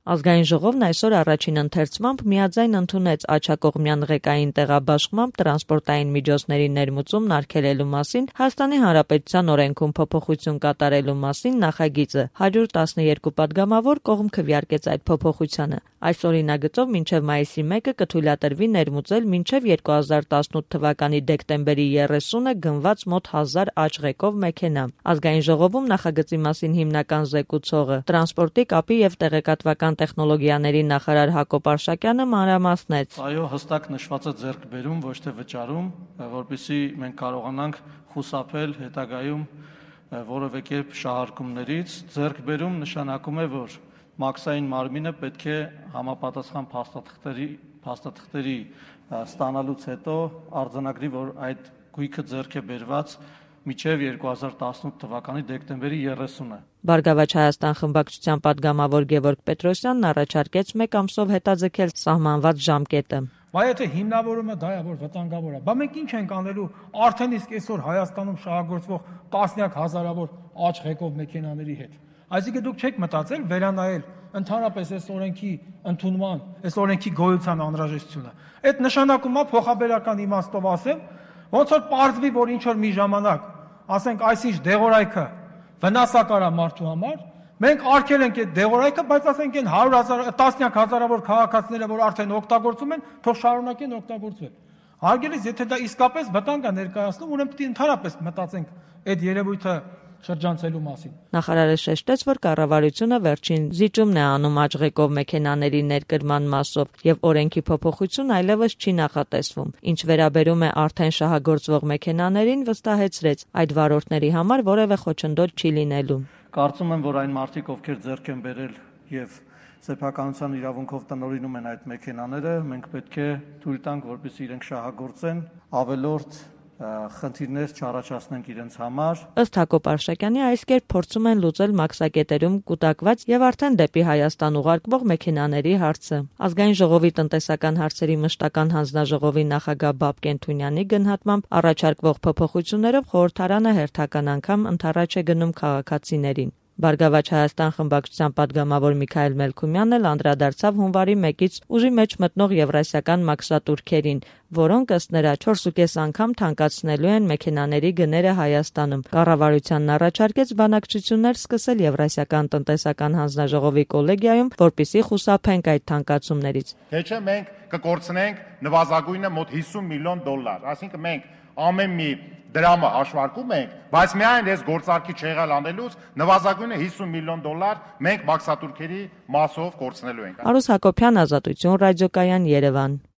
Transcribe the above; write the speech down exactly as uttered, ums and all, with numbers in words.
Ազգային ժողովն այսօր առաջին ընթերցմամբ միաձայն ընդունեց աջակողմյան ղեկային տեղաբաշխմամբ տրանսպորտային միջոցների ներմուծումն արգելելու մասին Հայաստանի Հանրապետության օրենքում փոփոխություն կատարելու մասին նախագիծը։ հարյուր տասներկու պատգամավոր կողմ քվեարկեց այդ փոփոխությանը։ Այս օրինագծով մինչև մայիսի մեկը կթույլատրվի ներմուծել մինչև երկու հազար տասնութ թվականի դեկտեմբերի երեսունը գնված մոտ հազար աճղեկով մեքենա։ Ազգային ժողովում նախագծի մասին հիմնական զեկուցողը տրանսպորտի, կապի եւ տեղեկատվական տեխնոլոգիաների նախարար Հակոբ Արշակյանը մանրամասնեց. Այո, հստակ նշված է ձեռքբերում, ոչ թե վճարում, որպեսզի մենք կարողանանք խուսափել հետագայում որևէ կերպ շահարկումներից։ Ձեռքբերում նշանակում է, որ մաքսային մարմինը պետք է համապատասխան փաստաթղթերի փաստաթղթերի ստանալուց հետո արձանագրի, որ այդ գույքը ձեռք է բերված մինչև երկու հազար տասնութ թվականի դեկտեմբերի երեսունը։ Բարգավաճ Հայաստան խմբակցության պատգամավոր Գևորգ Պետրոսյանն առաջարկեց մեկ ամսով հետաձգել սահմանված ժամկետը։ Բայց եթե հիմնավորումը դա է, որ վտանգավոր է, բա մենք ինչ ենք անելու արդեն իսկ այսօր Հայաստանում շահագործվող տասնյակ հազարավոր աճղեկով մեքենաների հետ։ Այսինքն դուք չեք մտածել վերանայել ընդհանրապես այս օրենքի ընդունման, այս օրենքի գոյության անհրաժեշտությունը։ Այդ նշանակում է փոխաբերական իմաստով ասեմ, ոնց որ պարզվի, որ ինչ որ մի ժամանակ, ասենք այսինչ դեղորայքը վնասակար է մարդու համար, մենք արգել ենք այդ դեղորայքը, բայց ասենք այն հարյուր հազար, տասնյակ հազարավոր քաղաքացիները, որ արդեն օգտագործում են, թող շարունակեն օգտագործել։ Հարգելիս, եթե դա իսկապես վտանգ է ներկայացնում, ուրեմն պետք է ընդհանրապես մտածենք այդ երևույթը շրջանցելու մասին։ Նախարարը շեշտեց, որ կառավարությունը վերջին զիջումն է անում աճղեկով մեքենաների ներկրման մասով եւ օրենքի փոփոխություն այլևս չի նախատեսվում։ Ինչ վերաբերում է արդեն շահագործվող մեքենաներին, վստահեցրեց, այդ վարորդների համար որևէ խոչընդոտ չի լինելու։ Կարծում եմ, որ այն մարդիկ, ովքեր ձեռք են բերել եւ սեփականության իրավունքով տնօրինում են այդ մեքենաները, մենք պետք է թույլ տանք, որպեսզի իրենք շահագործեն, ավելորդ խնդիրներ չառաջացնենք իրենց համար։ Ըստ Հակոբ Արշակյանի, այս կերպ փորձում են լուծել մաքսակետերում կուտակված եւ արդեն դեպի Հայաստան ուղարկվող մեքենաների հարցը։ Ազգային ժողովի տնտեսական հարցերի մշտական հանձնաժողովի նախագահ Բաբկեն Թունյանի գնահատմամբ առաջարկվող փոփոխություններով խորհրդարանը հերթական անգամ ընդառաջ է գնում քաղաքացիներին։ Բարգավաճ Հայաստան խմբակցության պատգամավոր Միքայել Մելքումյանն էլ անդրադարձավ հունվարի մեկից ուժի մեջ մտնող եվրասիական մաքսատուրքերին, որոնք ըստ նրա չորսուկես անգամ թանկացնելու են մեքենաների գները Հայաստանում։ Կառավարությանն առաջարկեց բանակցություններ սկսել Եվրասիական տնտեսական հանձնաժողովի կոլեգիայում, որպեսզի խուսափենք այդ թանկացումներից։ Թե չէ մենք կկորցնենք նվազագույնը մոտ հիսուն միլիոն դոլար, այսինքն մենք ամեն մի դրամը հաշվարկում ենք, բայց միայն այս գործարքի չեղալ անելուց նվազագույնը հիսուն միլիոն դոլար մենք մաքսատուրքերի մասով կորցնելու ենք։ Արուս Հակոբյան, Ազատություն ռադիոկայան, Երևան։